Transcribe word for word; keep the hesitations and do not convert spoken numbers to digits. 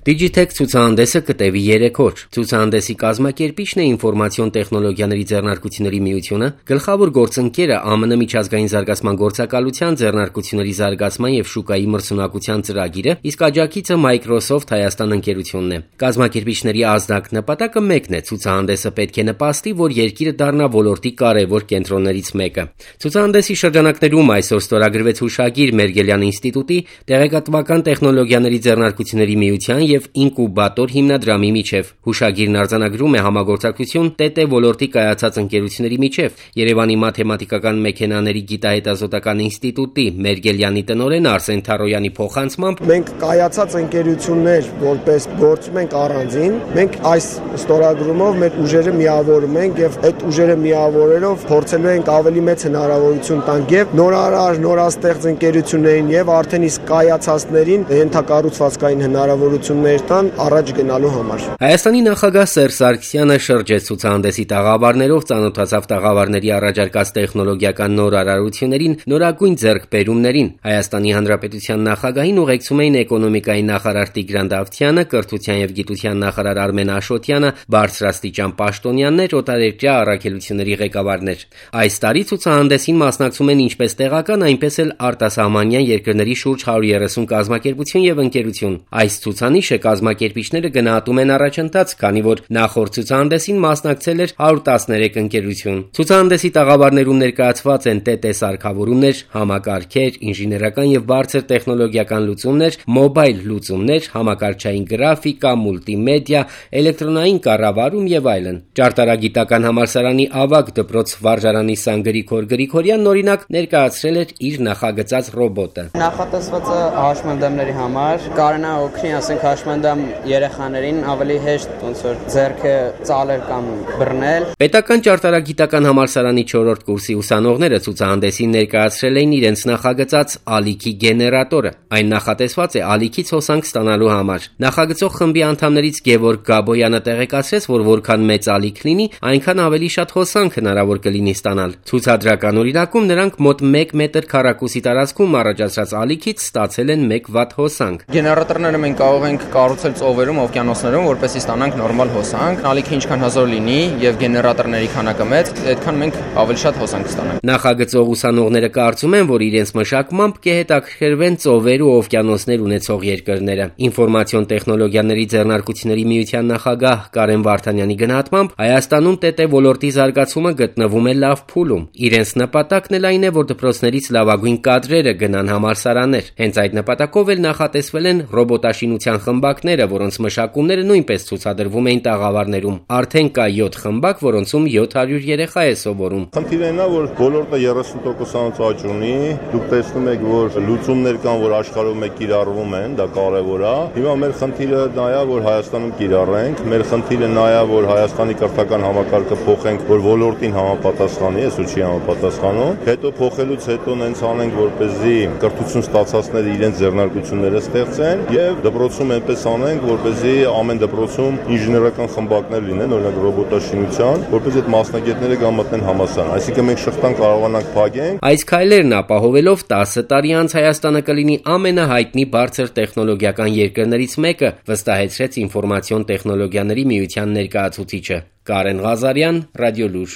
Digitech ցուցահանդեսը կտևի երեք օր։ Ցուցահանդեսի կազմակերպիչն է Ինֆորմացիոն տեխնոլոգիաների ձեռնարկությունների միությունը, գլխավոր գործընկերը Ա Մ Ն միջազգային զարգացման գործակալության ձեռնարկությունների զարգացման եւ շուկայի մրցունակության ծրագիրը, իսկ աջակիցը Microsoft Հայաստան ընկերությունն է։ Կազմակերպիչների ազդակ նպատակը մեկն է՝ ցուցահանդեսը պետք է նպաստի, որ երկիրը դառնա ոլորտի կարևոր կենտրոններից մեկը։ Ցուցահանդեսի շրջանակներում այսօր ստորագրվեց հուշագիր Մերգելյան ինստիտուտի, տեղեկատվական տեխնոլոգիաների ձեռնարկությունների միության եւ Ինկուբատոր հիմնադրամի միջև։ Հուշագիրն արձանագրում է համագործակցություն Տ Տ ոլորտի կայացած ընկերությունների միջև։ Երևանի մաթեմատիկական մեքենաների գիտահետազոտական ինստիտուտի Մերգելյանի տնօրեն Արսեն Թարոյանի փոխանցմամբ մենք կայացած ընկերություններ որպես գործում ենք առանձին, մենք այս ստորագրումով մեր ուժերը միավորում ենք եւ այդ ուժերը միավորելով փորձելու ենք ավելի մեծ հնարավորություն տանք եւ նորարար, նորաստեղծ ընկերություններին եւ արդեն իսկ կայացածներին ենթակառուցվածքային հնարավորություններ տան առաջ գնալու համար։ Հայաստանի նախագահ Սերժ Սարգսյանը շրջեց ցուցահանդեսի տաղավարներով, ծանոթացավ տաղավարների առաջարկած տեխնոլոգիական նոր արարություններին, նորագույն ձեռքբերումներին։ Հայաստանի Հանրապետության նախագահին ուղեկցում էին էկոնոմիկայի նախարար Տիգրան Դավթյանը, կրթության եւ գիտության նախարար Արմեն Աշոտյանը, բարձրաստիճան պաշտոնյաներ, օտարերկրյա առաքելությունների ղեկավարներ։ Այս տարի ցուցահանդեսին մասնակցում են ինչպես տեղական, այնպես էլ արտասահմանյան երկրների շուրջ հարյուր երեսուն կազմակերպություն եւ ընկերություն։ Այս ցուցանիշը կազմակերպիչները գնահատում են առաջընթաց, քանի որ նախորդ ցուցահանդեսին մասնակցել էր հարյուր տասներեք ընկերություն։ Ցուցահանդեսի տաղավարներում ներկայացված են Տ Տ սարքավորումներ, համակարգեր, ինժեներական եւ բարձր տեխնոլոգիական լուծումներ, մոբայլ լուծումներ, համակարգչային գրաֆիկա, մուլտիմեդիա, էլեկտրոնային կառավարում եւ այլն։ Ճարտարագիտական համալսարանի ավագ դպրոց վարժարանի Սան Գրիգոր Գրիգորյանն օրինակ ներկայացրել էր իր նախագծած ռոբոտը։ Նախատեսվածը հաշմանդամների համար կարողանա օգնի, ասենք հաշմանդամ երեխաներին ավելի հեշտ ոնց որ ձեռքը ծալել կամ բռնել։ Պետական ճարտարագիտական համալսարանի չորրորդ կուրսի ուսանողները ցուցահանդեսին ներկայացրել էին իրենց նախագծած ալիքի գեներատորը։ Այն նախատեսված է ալիքից հոսանք ստանալու համար։ Նախագծող խմբի անդամներից Գևորգ Գաբոյանը տեղեկացրեց, որ որքան մեծ ալիք լինի, այնքան ավելի շատ հոսանք հնարավոր կլինի ստանալ։ Ցուցադրական օրինակում նրանք մոտ մեկ մետր քառակուսի տարածքում առաջացրած ալիքից ստացել են մեկ վատ հոսանք։ Գեներատորները մենք կարող ենք կառուցել ծովերում, օվկիանոսներում, որպեսզի ստանանք նորմալ հոսանք։ Ալիքը ինչքան հզոր լինի եւ գեներատորների քանակը մեծ, այդքան մենք ավելի շատ հոսանք կստանանք։ Նախագծող ուսանողները կարծում են, որ իրենց մշակմամբ կհետաքրքրվեն ծովեր ու օվկիանոսներ ունեցող երկրները։ Ինֆորմացիոն տեխնոլոգիաների ձեռնարկությունների միության նախագահ Կարեն Վարդանյանի գնահատմամբ Հայաստանում Տ Տ ոլորտի զարգացումը գտնվում է լավ փուլում։ Իրենց նպատակն էլ այն է, որ դպրոցներից լավագույն կադրերը գնան համալսարաններ։ Հենց այդ նպատակով էլ նախատեսվել են ռոբոտաշինության խմբակները, որոնց մշակումները նույնպես ցուցադրվում էին տաղավարներում։ Արդեն կա յոթ խմբակ, որոնցում յոթ հարյուր երեխա է սովորում։ Խնդիրն այն է, որ ոլորտը երեսուն տոկոսանոց աճ ունի։ Դուք տեսնում եք, որ լուծումներ կան, որ աշխարհում է կիրառվում են, դա կարևոր է։ Հիմա մեր խնդիրը նա է, որ Հայաստանում կիրառենք։ Մեր խնդիրը նա է, որ Հայաստանի կրթական համակարգը փոխենք, որ ոլորտին համապատասխանի, այսօր չի համապատասխանում։ Հետո փոխելուց հետո նենց անենք, որպեսզի կրթություն ստացածները իրենց ձեռնարկությունները ստեղծեն եւ դպրոցում այնպես անենք, որպեսզի ամեն դպրոցում ինժեներական խմբակներ լինեն, օրինակ ռոբոտաշինության, որպեսզի այդ մասնագետները գան մտնեն համալսարան։ Այսինքն մենք շղթան կարողանանք փակենք։ Այս քայլերն ապահովելով տասը տարի անց Հայաստանը կլինի ամենահայտնի բարձր տեխնոլոգիական երկրներից մեկը, վստահեցրեց Ինֆորմացիոն տեխնոլոգիաների միության ներկայացուցիչը Կարեն Ղազարյան, Ռադիոլուր։